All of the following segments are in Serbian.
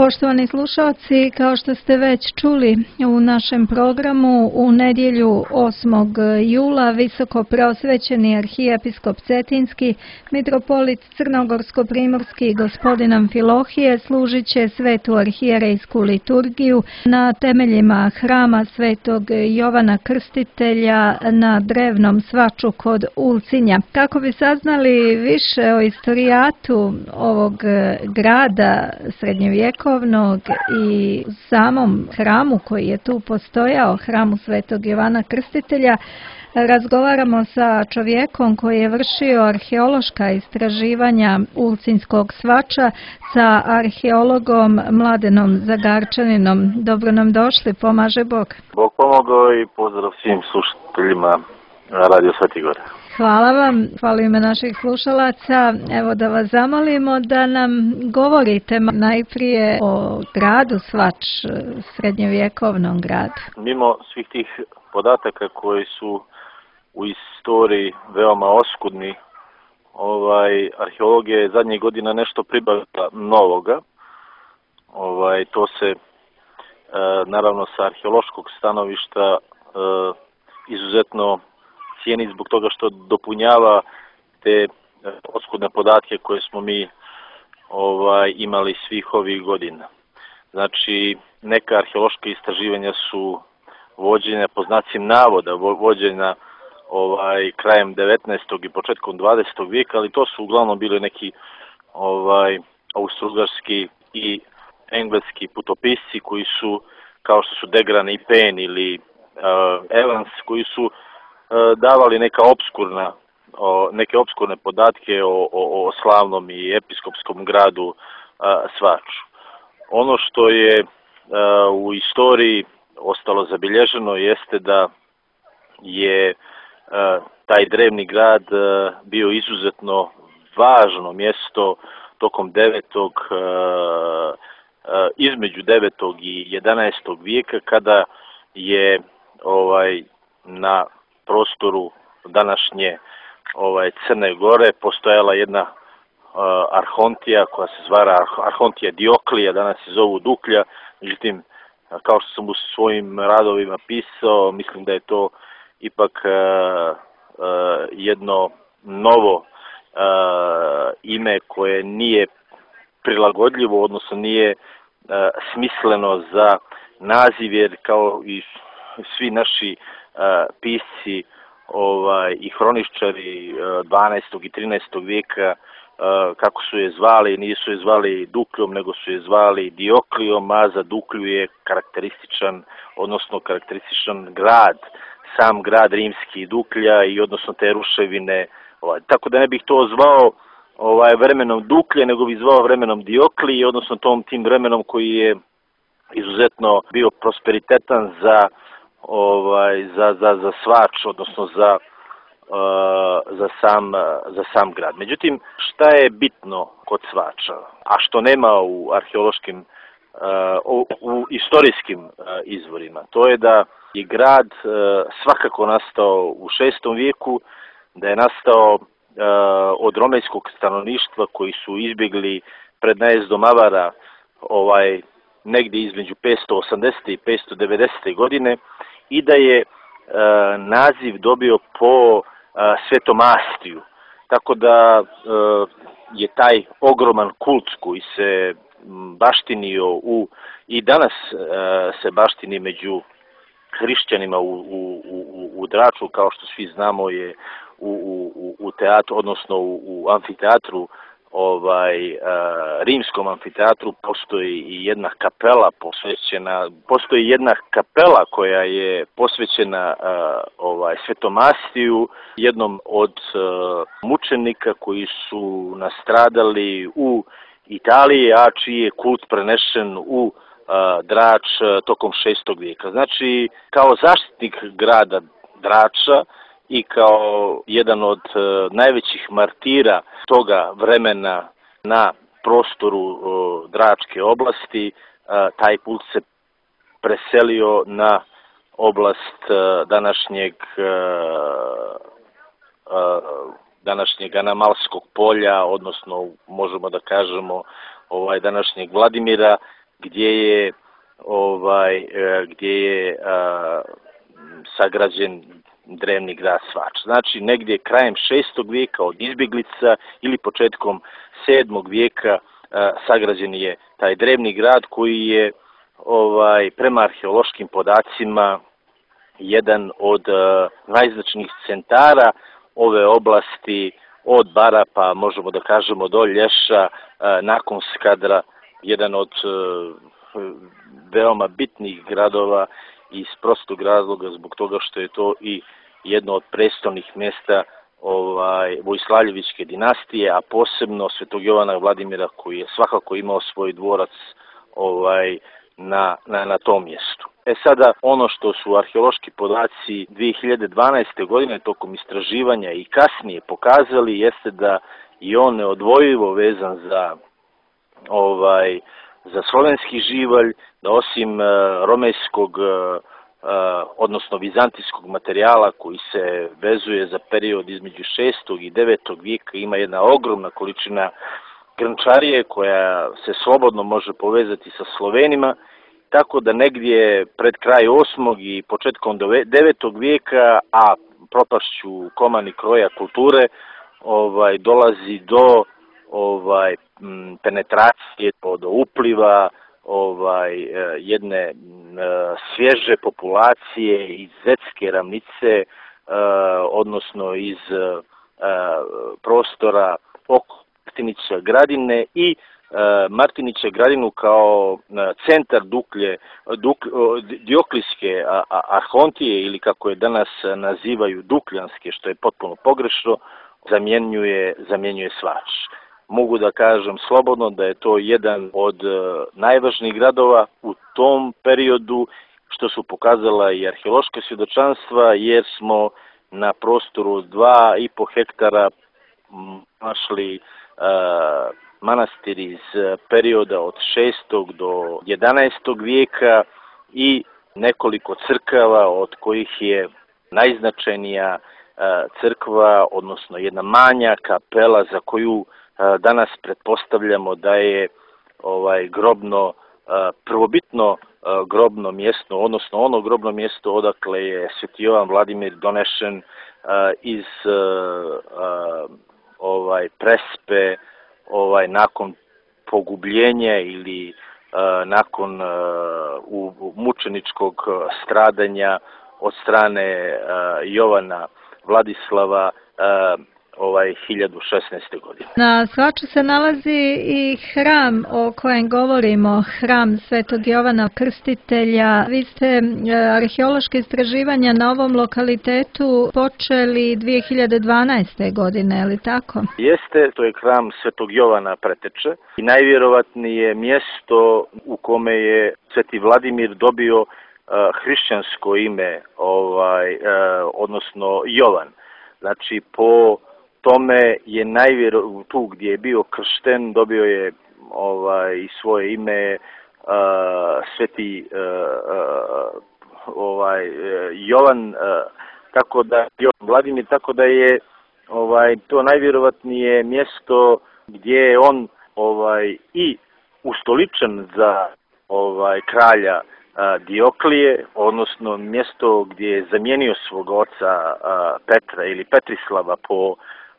Poštovani slušalci, kao što ste već čuli u našem programu, u nedjelju 8. jula visoko preosvećeni arhijepiskop Cetinski, mitropolit Crnogorsko-primorski gospodin Amfilohije služit će svetu arhijerejsku liturgiju na temeljima hrama svetog Jovana Krstitelja na drevnom svaču kod Ulcinja. Kako bi saznali više o istorijatu ovog grada srednjovjekovnog i samom hramu koji je tu postojao, hramu svetog Jovana Krstitelja, razgovaramo sa čovjekom koji je vršio arheološka istraživanja Ulcinskog svača, sa arheologom Mladenom Zagarčaninom. Dobro nam došli, pomaže Bog. Bog pomogao i pozdrav svim slušateljima Radio Sveti Gor. Hvala vam, hvala ime naših slušalaca. Evo da vas zamolimo da nam govorite najprije o gradu Svač, srednjovjekovnom gradu. Mimo svih tih podataka koji su u istoriji veoma oskudni, arheologija je zadnjih godina nešto pribavila novoga. To se naravno sa arheološkog stanovišta izuzetno cijeni zbog toga što dopunjava te oskudne podatke koje smo mi imali svih ovih godina. Znači, neka arheološka istraživanja su vođenja po znacima navoda, vođenja krajem 19. i početkom 20. vijeka, ali to su uglavnom bili neki austrougarski i engleski putopisci koji su, kao što su Degran i Penn ili Evans, koji su davali neke opskurne podatke o slavnom i episkopskom gradu Svaču. Ono što je u istoriji ostalo zabilježeno jeste da je taj drevni grad bio izuzetno važno mjesto tokom između 9. i 11. vijeka, kada je na prostoru današnje Crne Gore postojala jedna arhontija koja se zvala Arhontija Dioklija, danas se zovu Duklja. Međutim, kao što sam u svojim radovima pisao, mislim da je to ipak jedno novo ime koje nije prilagodljivo, odnosno nije smisleno za naziv, jer kao i svi naši pisci i hroničari 12. i 13. vijeka, kako su je zvali, nisu je zvali Dukljom, nego su je zvali Dioklijom, a za Duklju je karakterističan grad, sam grad rimski Duklja i odnosno te ruševine. Tako da ne bih to zvao vremenom Duklje, nego bih zvao vremenom Dioklije, odnosno tim vremenom koji je izuzetno bio prosperitetan za Svač, odnosno za sam grad. Međutim, šta je bitno kod Svača, a što nema u arheološkim, u istorijskim izvorima, to je da je grad svakako nastao u 6. vijeku, da je nastao od romejskog stanovništva koji su izbjegli pred najezdom Avara negdje između 580. i 590. godine, i da je naziv dobio po Svetom Astiju. Tako da je taj ogroman kult koji se baštinio i danas se baštini među hrišćanima u Draču, kao što svi znamo, je u teatru, odnosno u amfiteatru, rimskom amfiteatru postoji i jedna kapela koja je posvećena Svetom Astiju, jednom od mučenika koji su nastradali u Italiji, a čiji je kult prenešen u Drač tokom 6. vijeka. Znači, kao zaštitnik grada Drača i kao jedan od najvećih martira toga vremena na prostoru Dračke oblasti, taj kult se preselio na oblast današnjeg Anamalskog polja, odnosno možemo da kažemo današnjeg Vladimira, gdje je sagrađen drevni grad Svač. Znači, negdje krajem 6. vijeka od izbjeglica ili početkom 7. vijeka sagrađen je taj drevni grad koji je prema arheološkim podacima jedan od najznačajnijih centara ove oblasti od Bara pa možemo da kažemo do Lješa, nakon Skadra, jedan od veoma bitnih gradova iz prostog razloga zbog toga što je to i jedno od prestolnih mjesta Vojslavljevićke dinastije, a posebno Svetog Jovana Vladimira koji je svakako imao svoj dvorac na tom mjestu. Sada, ono što su arheološki podaci 2012. godine tokom istraživanja i kasnije pokazali jeste da je on neodvojivo vezan za slovenski živalj, da osim romejskog odnosno vizantijskog materijala koji se vezuje za period između 6. i 9. vijeka, ima jedna ogromna količina grnčarije koja se slobodno može povezati sa Slovenima, tako da negdje pred kraj 8. i početkom 9. vijeka, a propašću komani kroja kulture, dolazi do penetracije, do upliva jedne svježe populacije iz Zetske ravnice, odnosno iz prostora oko Martinića Gradine i Martinića Gradinu kao centar Dioklijske arhontije ili kako je danas nazivaju Dukljanske, što je potpuno pogrešno, zamjenjuje Svač. Mogu da kažem slobodno da je to jedan od najvažnijih gradova u tom periodu, što su pokazala i arheološka svjedočanstva, jer smo na prostoru 2,5 hektara našli manastir iz perioda od 6. do 11. vijeka i nekoliko crkava, od kojih je najznačajnija crkva, odnosno jedna manja kapela za koju danas pretpostavljamo da je prvobitno grobno mjesto, odnosno ono grobno mjesto odakle je Sveti Jovan Vladimir donešen iz Prespe nakon pogubljenja ili nakon mučeničkog stradanja od strane Jovana Vladislava 1016. godine. Na Svaču se nalazi i hram o kojem govorimo, hram Svetog Jovana Krstitelja. Vi ste arheološke istraživanja na ovom lokalitetu počeli 2012. godine, je li tako? Jeste, to je hram Svetog Jovana Preteče i najvjerovatnije mjesto u kome je Sveti Vladimir dobio hrišćansko ime, odnosno Jovan. Znači, po tome je tu gdje je bio kršten, dobio je i svoje ime Sveti Jovan, tako da Jovan Vladimir, tako da je to najvjerovatnije mjesto gdje je on i ustoličen za kralja Dioklije, odnosno mjesto gdje je zamijenio svog oca Petra ili Petrislava po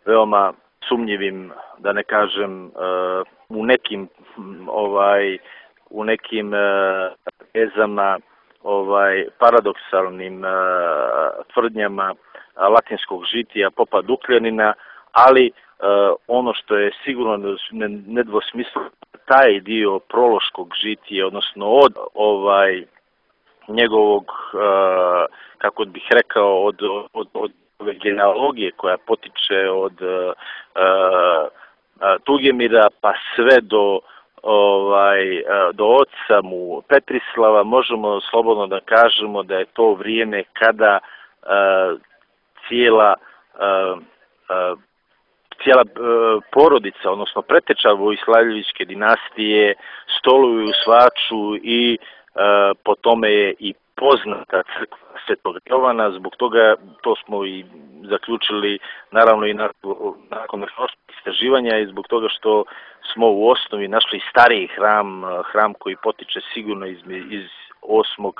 veoma sumnjivim, da ne kažem, u nekim ezama, paradoksalnim tvrdnjama latinskog žitija Popa Dukljanina, ali ono što je sigurno nedvosmisleno, taj dio prološkog žitija, odnosno od njegovog, kako bih rekao, od ove genealogije koja potiče od Tugemira pa sve do oca mu Petrislava, možemo slobodno da kažemo da je to vrijeme kada cijela porodica, odnosno preteča Vojslavljevićke dinastije stoluju u Svaču i po tome je i poznata crkva Svetog Jovana, zbog toga to smo i zaključili naravno i nakon arheoloških istraživanja i zbog toga što smo u osnovi našli stariji hram koji potiče sigurno iz 8.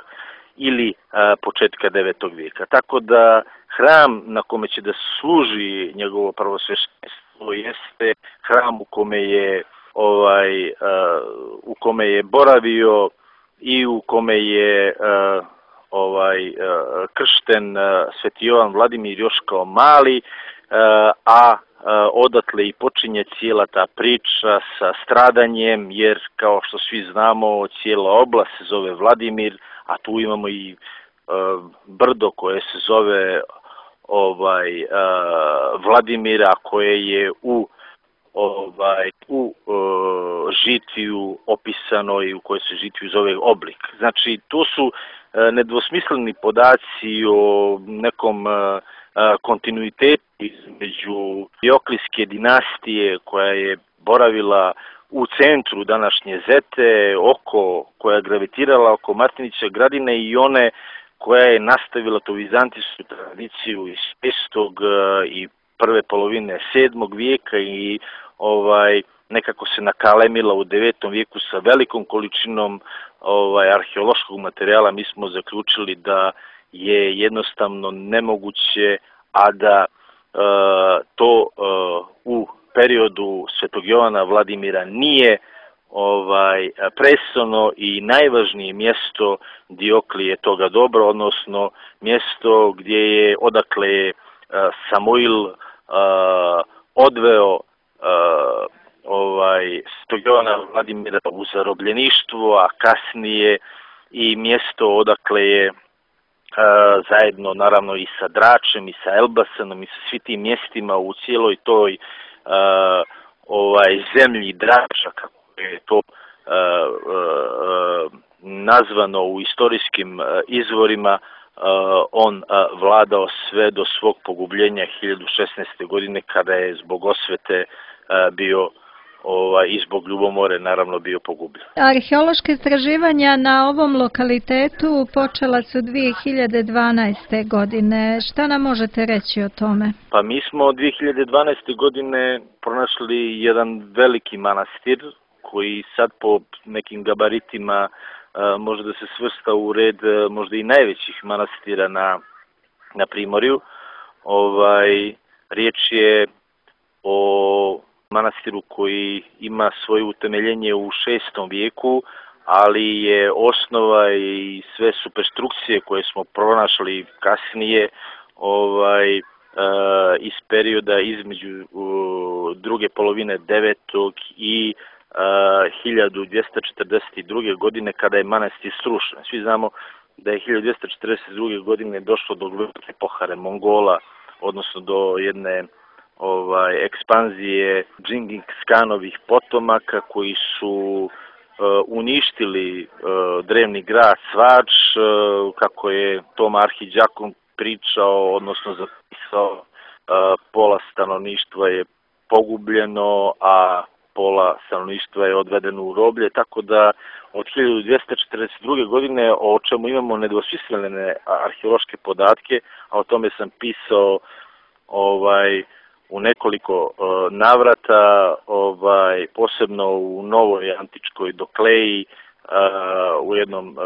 ili početka 9. vijeka. Tako da hram na kome će da služi njegovo prvosveštenstvo jeste hram u kome je boravio i u kome je kršten Sveti Jovan Vladimir još kao mali, a odatle i počinje cijela ta priča sa stradanjem, jer kao što svi znamo, cijela oblast se zove Vladimir, a tu imamo i brdo koje se zove Vladimira, koje je u žitiju opisano i u kojoj se žitiju zove Oblik. Znači, to su nedvosmisleni podaci o nekom kontinuitetu između Dioklijske dinastije koja je boravila u centru današnje Zete, koja je gravitirala oko Martinića Gradine i one koja je nastavila tu vizantijsku tradiciju iz 5. i prve polovine 7. vijeka i nekako se nakalemila u 9. vijeku sa velikom količinom arheološkog materijala. Mi smo zaključili da je jednostavno nemoguće, a da to u periodu Svetog Jovana Vladimira nije presono i najvažnije mjesto Dioklije toga dobra, odnosno mjesto odakle je Samuil odveo Svetog Jovana Vladimira u zarobljeništvo, a kasnije i mjesto odakle je zajedno naravno i sa Dračem i sa Elbasanom i sa svim tim mjestima u cijeloj toj zemlji Drača, kako je to nazvano u istorijskim izvorima, on vladao sve do svog pogubljenja 1016. godine kada je zbog osvete bio i zbog ljubomore naravno bio pogubljen. Arheološke istraživanja na ovom lokalitetu počela su 2012. godine. Šta nam možete reći o tome? Pa mi smo 2012. godine pronašli jedan veliki manastir koji sad po nekim gabaritima može da se svrsta u red možda i najvećih manastira na Primorju. Riječ je o manastiru koji ima svoje utemeljenje u 6. vijeku, ali je osnova i sve superstrukcije koje smo pronašli kasnije iz perioda između druge polovine 9. i 1242. godine kada je manastir srušen. Svi znamo da je 1242. godine došlo do velike pohare Mongola, odnosno do jedne ekspanzije Džingis Kanovih potomaka koji su uništili drevni grad Svač, kako je Tom Arhidžakon pričao, odnosno zapisao, pola stanovništva je pogubljeno, a pola stanovništva je odvedeno u roblje, tako da od 1242. godine, o čemu imamo nedvosmislene arheološke podatke, a o tome sam pisao u nekoliko navrata, posebno u Novoj antičkoj Dokleji, u jednom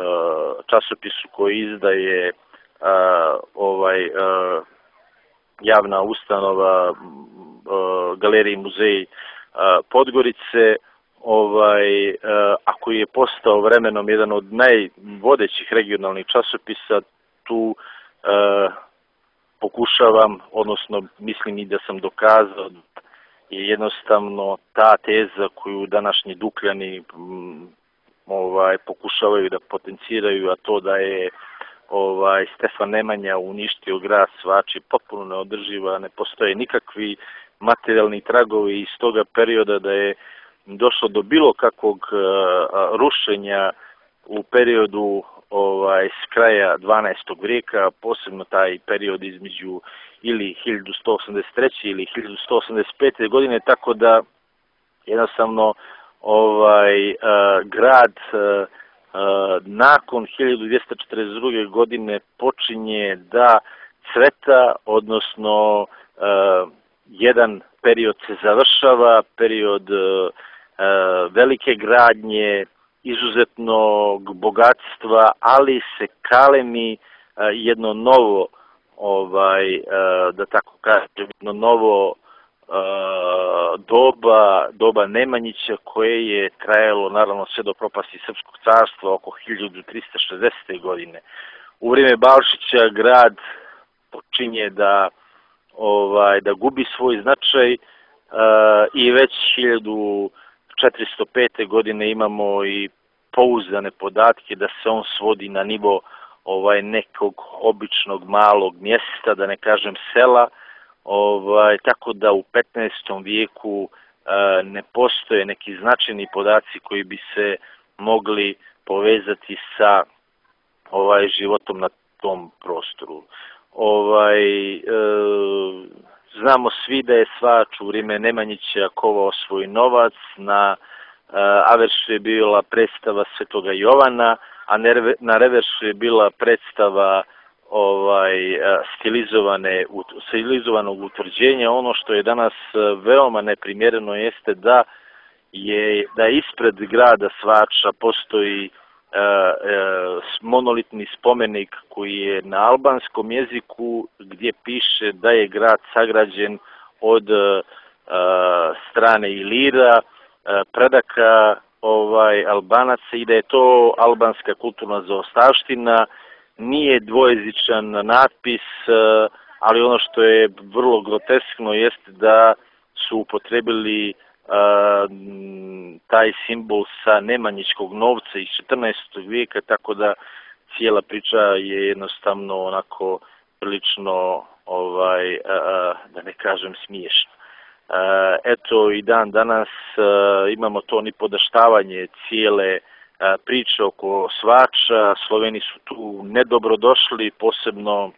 časopisu koji izdaje javna ustanova Galeriji muzej Podgorice, a koji je postao vremenom jedan od najvodećih regionalnih časopisa. Tu pokušavam, odnosno mislim i da sam dokazao, je jednostavno ta teza koju današnji Dukljani pokušavaju da potenciraju, a to da je Stefan Nemanja uništio grad Svač je potpuno neodrživa, ne postoje nikakvi materijalni tragovi iz toga perioda da je došlo do bilo kakvog rušenja u periodu s kraja 12. vijeka, posebno taj period između ili 1183. ili 1185. godine, tako da jednostavno grad nakon 1242. godine počinje da cveta, odnosno jedan period se završava, period velike gradnje, izuzetnog bogatstva, ali se kalemi jedno novo, da tako kažem, jedno novo doba Nemanjića, koje je trajalo naravno sve do propasti Srpskog carstva oko 1360. godine. U vrijeme Balšića grad počinje da gubi svoj značaj i već 1405. godine imamo i pouzdane podatke da se on svodi na nivo nekog običnog malog mjesta, da ne kažem sela, tako da u 15. vijeku ne postoje neki značajni podaci koji bi se mogli povezati sa životom na tom prostoru. Znamo svi da je Svač u vrijeme Nemanjića kovao svoj novac, na averšu je bila predstava Svetoga Jovana, a na reversu je bila predstava stilizovanog utvrđenja. Ono što je danas veoma neprimjereno jeste da ispred grada Svača postoji monolitni spomenik koji je na albanskom jeziku, gdje piše da je grad sagrađen od strane Ilira, predaka Albanaca, i da je to albanska kulturna zaostavština. Nije dvojezičan natpis, ali ono što je vrlo groteskno jeste da su upotrebili taj simbol sa nemanjičkog novca iz 14. vijeka, tako da cijela priča je jednostavno onako prilično, da ne kažem, smiješna. Eto, i dan danas imamo to nipodaštavanje cijele priče oko Svača. Sloveni su tu nedobrodošli, posebno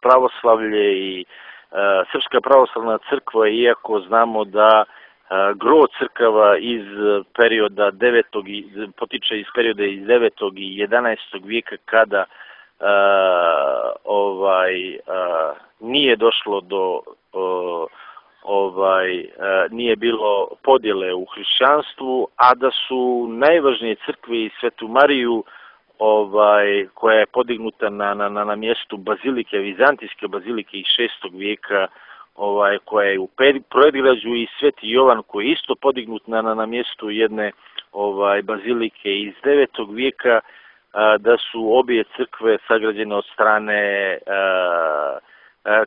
pravoslavlje i Srpska pravoslavna crkva, iako znamo da gro crkava iz perioda potiče iz perioda iz 9. i 11. vijeka, kada nije došlo do nije bilo podjele u hrišćanstvu, a da su najvažnije crkve i Svetu Mariju, koja je podignuta na mjestu bazilike, vizantijske bazilike iz 6. vijeka, koja je u predgrađu, i Sveti Jovan koji je isto podignut na mjestu jedne bazilike iz 9. vijeka, da su obje crkve sagrađene od strane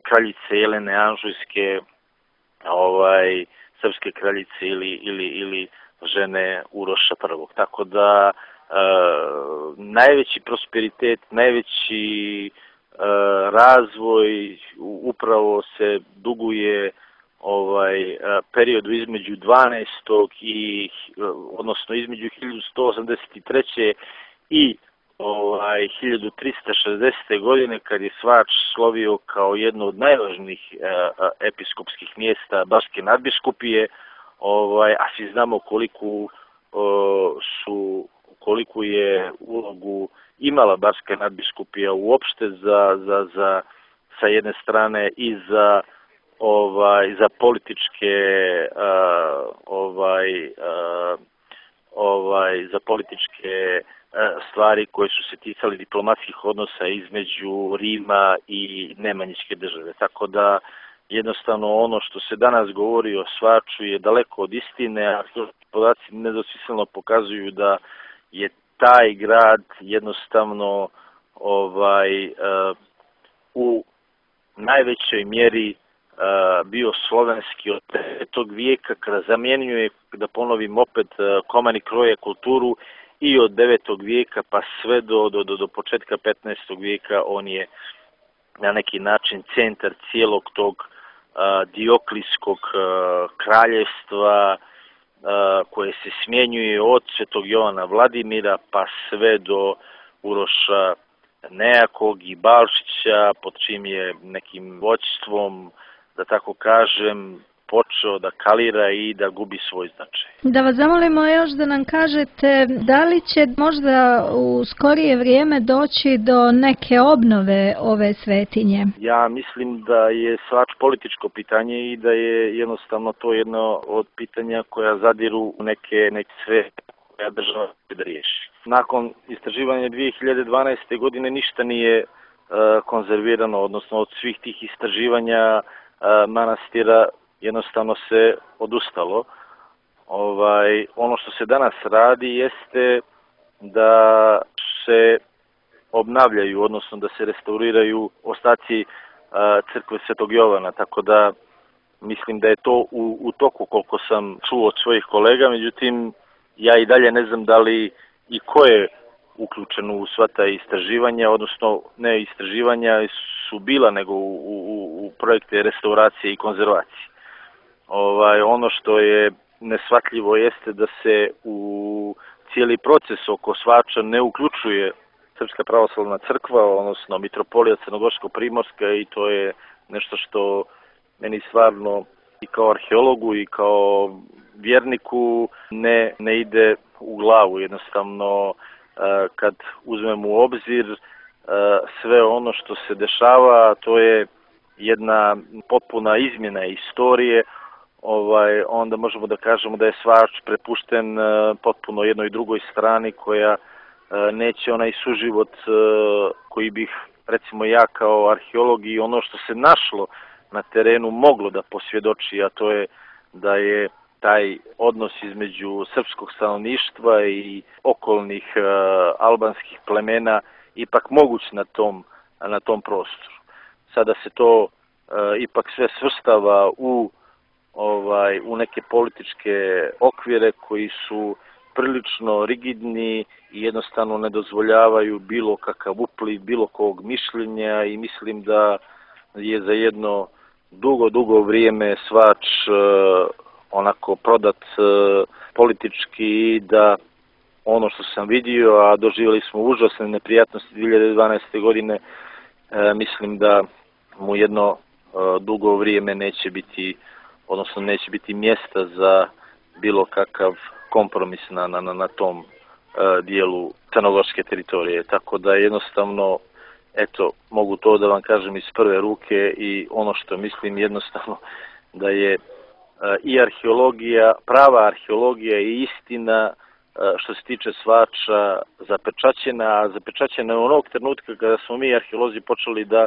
kraljice Jelene Anžujske, srpske kraljice ili žene Uroša I. Tako da najveći prosperitet, najveći razvoj upravo se duguje periodu između 12. odnosno između 1183. i 1360. godine, kad je Svač slovio kao jedno od najvažnijih episkopskih mjesta Baške nadbiskupije, a svi znamo koliku je ulogu imala Baška nadbiskupija uopšte sa jedne strane i za političke stvari koje su se ticali diplomatskih odnosa između Rima i Nemanjičke države. Tako da jednostavno ono što se danas govori o Svaču je daleko od istine, a podaci nedvosmisleno pokazuju da je taj grad jednostavno u najvećoj mjeri bio slovenski od 5. vijeka, kada zamjenjuje, da ponovim opet, Komani kroje kulturu, i od 9. vijeka pa sve do početka 15. vijeka on je na neki način centar cijelog tog Dioklijskog kraljevstva, koje se smjenjuje od Svetog Jovana Vladimira pa sve do Uroša Nejakog i Balšića, pod čim je nekim vođstvom, da tako kažem, počeo da kalira i da gubi svoj značaj. Da vas zamolimo još da nam kažete da li će možda u skorije vrijeme doći do neke obnove ove svetinje? Ja mislim da je Svač političko pitanje i da je jednostavno to jedno od pitanja koja zadiru u neke sve koja država da riješi. Nakon istraživanja 2012. godine ništa nije konzervirano, odnosno od svih tih istraživanja manastira jednostavno se odustalo. Ono što se danas radi jeste da se obnavljaju, odnosno da se restauriraju ostaci crkve Svetog Jovana, tako da mislim da je to u toku koliko sam čuo od svojih kolega, međutim ja i dalje ne znam da li i ko je uključen u sva ta istraživanja, odnosno ne istraživanja su bila nego u projekte restauracije i konzervacije. Ono što je neshvatljivo jeste da se u cijeli proces oko Svača ne uključuje Srpska pravoslavna crkva, odnosno Mitropolija Crnogorsko-Primorska, i to je nešto što meni stvarno i kao arheologu i kao vjerniku ne ide u glavu. Jednostavno kad uzmemo u obzir sve ono što se dešava, to je jedna potpuna izmjena istorije, onda možemo da kažemo da je Svač prepušten potpuno jednoj drugoj strani koja neće onaj suživot koji bih, recimo ja kao arheolog i ono što se našlo na terenu moglo da posvjedoči, a to je da je taj odnos između srpskog stanovništva i okolnih albanskih plemena ipak moguć na tom prostoru. Sada se to ipak sve svrstava u neke političke okvire koji su prilično rigidni i jednostavno ne dozvoljavaju bilo kakav upliv, bilo kog mišljenja, i mislim da je za jedno dugo vrijeme Svač onako prodat politički, i da ono što sam vidio, a doživjeli smo užasne neprijatnosti 2012. godine, mislim da mu jedno dugo vrijeme neće biti mjesta za bilo kakav kompromis na tom dijelu crnogorske teritorije. Tako da jednostavno, eto, mogu to da vam kažem iz prve ruke, i ono što mislim jednostavno da je i arheologija, prava arheologija i istina što se tiče Svača zapečaćena je onog trenutka kada smo mi arheolozi počeli da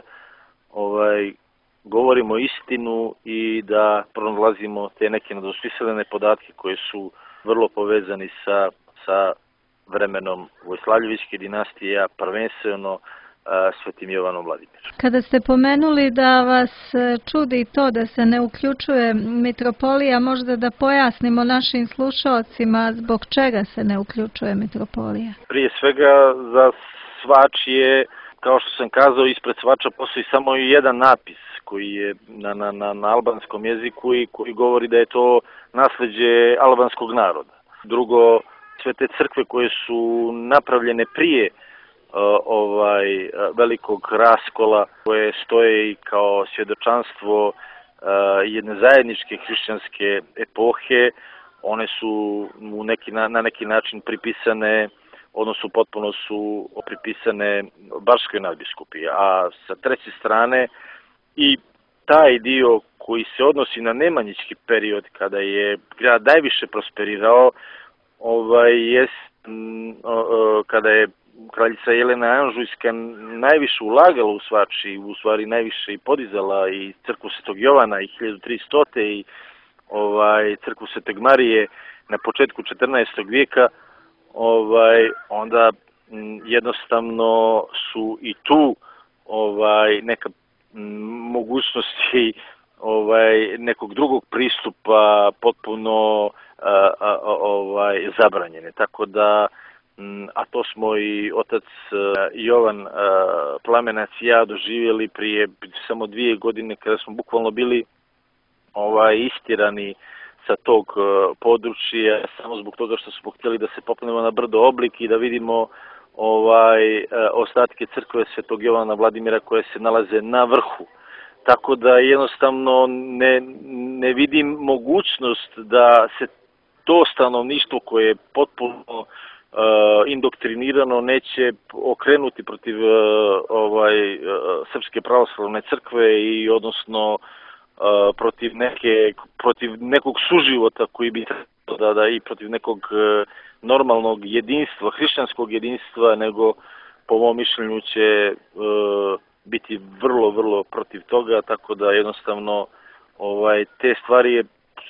govorimo istinu i da pronalazimo te neke nedosmislene podatke koji su vrlo povezani sa vremenom Vojslavljevićke dinastije, prvenstveno Svetim Jovanom Vladimirom. Kada ste pomenuli da vas čudi to da se ne uključuje mitropolija, možda da pojasnimo našim slušalcima zbog čega se ne uključuje mitropolija? Prije svega za Svač je, kao što sam kazao, ispred Svača postoji samo jedan napis koji je na albanskom jeziku i koji govori da je to nasleđe albanskog naroda. Drugo, sve te crkve koje su napravljene prije velikog raskola, koje stoje i kao svjedočanstvo jedne zajedničke hrišćanske epohe, one su na neki način pripisane, odnosno potpuno su pripisane Bačkoj nadbiskupiji. A sa treće strane i taj dio koji se odnosi na nemanjički period, kada je grad najviše prosperirao, kada je kraljica Jelena Anžujska najviše ulagala u Svač i u stvari najviše i podizala i crkvu Svetog Jovana i 1300. i crkvu Svetog Marije na početku 14. vijeka, onda jednostavno su i tu neka mogućnosti nekog drugog pristupa potpuno zabranjene. Tako da, a to smo i otac Jovan Plamenac i ja doživjeli prije samo 2 godine, kada smo bukvalno bili istirani sa tog područja samo zbog toga što smo htjeli da se popnemo na brdo Oblik i da vidimo ostatke crkve Svetog Jovana Vladimira koje se nalaze na vrhu tako da jednostavno ne vidim mogućnost da se to stanovništvo koje je potpuno indoktrinirano neće okrenuti protiv Srpske pravoslavne crkve i odnosno protiv nekog suživota koji bi trebalo i protiv nekog normalnog jedinstva, hrišćanskog jedinstva, nego po mom mišljenju će biti vrlo, vrlo protiv toga, tako da jednostavno te stvari je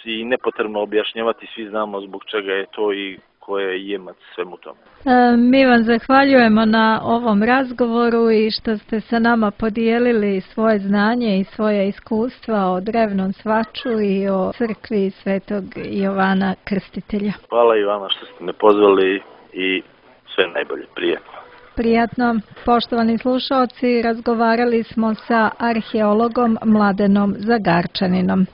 i nepotrebno objašnjavati, svi znamo zbog čega je to i ko je jemac svemu tome. Mi vam zahvaljujemo na ovom razgovoru i što ste sa nama podijelili svoje znanje i svoje iskustva o drevnom svaču i o crkvi Svetog Jovana Krstitelja. Hvala i vama što ste me pozvali i sve najbolje, prijatno. Prijatno. Poštovani slušaoci, razgovarali smo sa arheologom Mladenom Zagarčaninom.